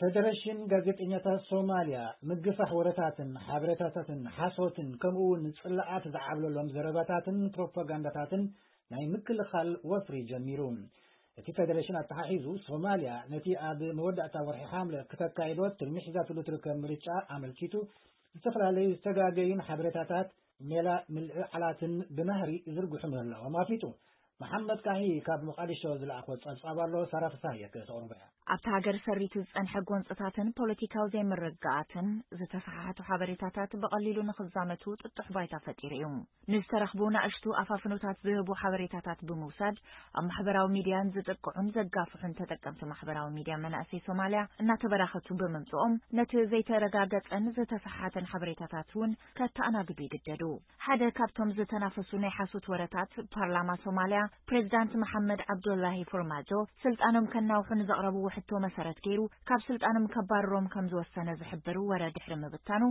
ፌደሬሽን ጋዜጠኛታት ሶማልያ ምግፋሕ ወረታትን ሓበሬታታትን ሓሶትን ከምኡ እውን ጽላኣት ዝዓብለሎም ዘረባታትን ፕሮፓጋንዳታትን ናይ ምክልኻል ወፍሪ ጀሚሩ። እቲ ፌደሬሽን ኣተሓሒዙ ሶማልያ ነቲ ኣብ መወዳእታ ወርሒ ሓምለ ክተካይዶ ትልሚ ሒዛትሉ ትርከብ ምርጫ ኣመልኪቱ ዝተፈላለዩ ዝተጋገዩን ሓበሬታታት ሜላ ምልዕዓላትን ብናህሪ ይዝርግሑ ምህላዎም ኣፍሊጡ። መሓመድ ካሂ ካብ መቃዲሾ ዝለኣኾ ጸብጻብ ኣሎ፣ ሳራ ፍሳሃየ ከተቕርቦ እያ። ኣብታ ሃገር ሰሪቱ ዝጸንሐ ጎንጽታትን ፖለቲካዊ ዘይምርግጋኣትን ዝተሰሓሓቱ ሓበሬታታት ብቐሊሉ ንኽዛመቱ ጥጡሕ ባይታ ፈጢሩ እዩ። ንዝተረኽቡ ናእሽቱ ኣፋፍኖታት ዝህቡ ሓበሬታታት ብምውሳድ ኣብ ማሕበራዊ ሚድያን ዝጥቅዑን ዘጋፍሑን ተጠቀምቲ ማሕበራዊ ሚድያ መናእሰይ ሶማልያ እናተበራኸቱ ብምምጽኦም ነቲ ዘይተረጋገጸን ዝተሰሓሓተን ሓበሬታታት እውን ከተኣናግዱ ይግደዱ። ሓደ ካብቶም ዝተናፈሱ ናይ ሓሶት ወረታት ፓርላማ ሶማልያ ፕሬዚዳንት መሓመድ ዓብዱላሂ ፎርማጆ ስልጣኖም ከናውሑ ንዘቕረብዎ ሕቶ መሰረት ገይሩ ካብ ስልጣኖም ከባርሮም ከም ዝወሰነ ዝሕብር ወረ ድሕሪ ምብታኑ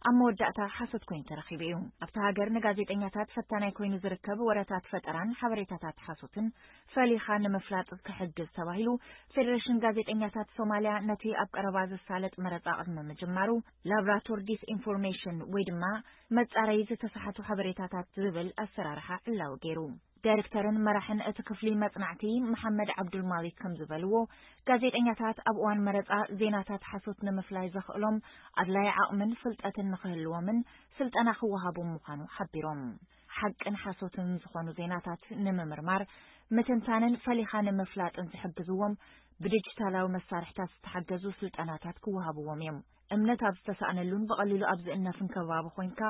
ኣብ መወዳእታ ሓሶት ኮይኑ ተረኺቡ እዩ። ኣብታ ሃገር ንጋዜጠኛታት ፈታናይ ኮይኑ ዝርከብ ወረታት ፈጠራን ሓበሬታታት ሓሶትን ፈሊኻ ንምፍላጥ ክሕግዝ ተባሂሉ ፌደሬሽን ጋዜጠኛታት ሶማልያ ነቲ ኣብ ቀረባ ዝሳለጥ መረጻ ቅድሚ ምጅማሩ ላብራቶር ዲስኢንፎርሜሽን ወይ ድማ መጻረይ ዝተሳሓቱ ሓበሬታታት ዝብል ኣሰራርሓ ዕላዊ ገይሩ። ዳይሬክተርን መራሕን እቲ ክፍሊ መጽናዕቲ መሓመድ ዓብዱል ማሊክ ከም ዝበልዎ፣ ጋዜጠኛታት ኣብ እዋን መረጻ ዜናታት ሓሶት ንምፍላይ ዘኽእሎም ኣድላይ ዓቕምን ፍልጠትን ንኽህልዎምን ስልጠና ክወሃቦም ምዃኑ ሓቢሮም። ሓቅን ሓሶትን ዝኾኑ ዜናታት ንምምርማር ምትንታንን ፈሊኻ ንምፍላጥን ዝሕግዝዎም ብዲጂታላዊ መሳርሕታት ዝተሓገዙ ስልጠናታት ክወሃብዎም እዮም። እምነት ኣብ ዝተሳእነሉን ብቐሊሉ ኣብ ዝእነፍን ከባቢ ኮይንካ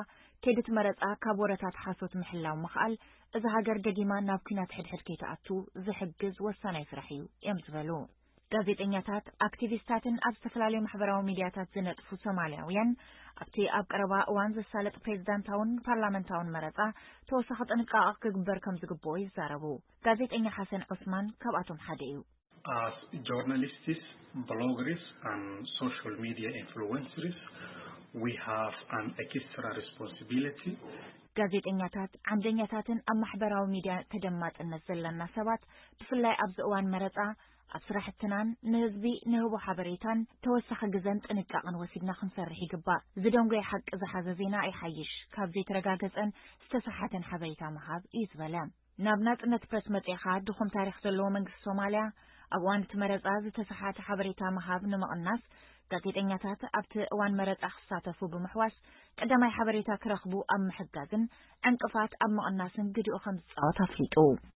ከይዲ እቲ መረጻ ካብ ወረታት ሓሶት ምሕላው ምኽኣል እዛ ሃገር ደጊማ ናብ ኲናት ሕድሕድ ከይትኣቱ ዝሕግዝ ወሳናይ ስራሕ እዩ እዮም ዝበሉ። ጋዜጠኛታት፣ ኣክቲቪስታትን ኣብ ዝተፈላለዩ ማሕበራዊ ሚድያታት ዝነጥፉ ሶማልያውያን ኣብቲ ኣብ ቀረባ እዋን ዝሳለጥ ፕሬዚዳንታውን ፓርላመንታውን መረጻ ተወሳኺ ጥንቃቐ ክግበር ከም ዝግብኦ ይዛረቡ። ጋዜጠኛ ሓሰን ዑስማን ካብኣቶም ሓደ እዩ። As journalists, bloggers, and social media influencers, we have an extra responsibility. ጋዜጠኛታት፣ ዓምደኛታትን ኣብ ማሕበራዊ ሚድያ ተደማፅነት ዘለና ሰባት ብፍላይ ኣብዚ እዋን መረፃ ኣብ ስራሕትናን ንህዝቢ ንህቦ ሓበሬታን ተወሳኺ ግዘን ጥንቃቕን ወሲድና ክንሰርሕ ይግባእ። ዝደንጎየ ሓቂ ዝሓዘ ዜና ይሓይሽ ካብ ዘይተረጋገፀን ዝተሰሓተን ሓበሬታ ምሃብ እዩ ዝበለ። ናብ ናፅነት ፕረስ መፂእኻ ድኹም ታሪኽ ዘለዎ መንግስቲ ሶማልያ ኣብ እዋን እቲ መረፃ ዝተሰሓተ ሓበሬታ ምሃብ ንምቕናስ ጋዜጠኛታት ኣብቲ እዋን መረፃ ክሳተፉ ብምሕዋስ ቀዳማይ ሓበሬታ ክረኽቡ ኣብ ምሕጋዝን ዕንቅፋት ኣብ ምቕናስን ግድኡ ከም ዝፃወት ኣፍሊጡ።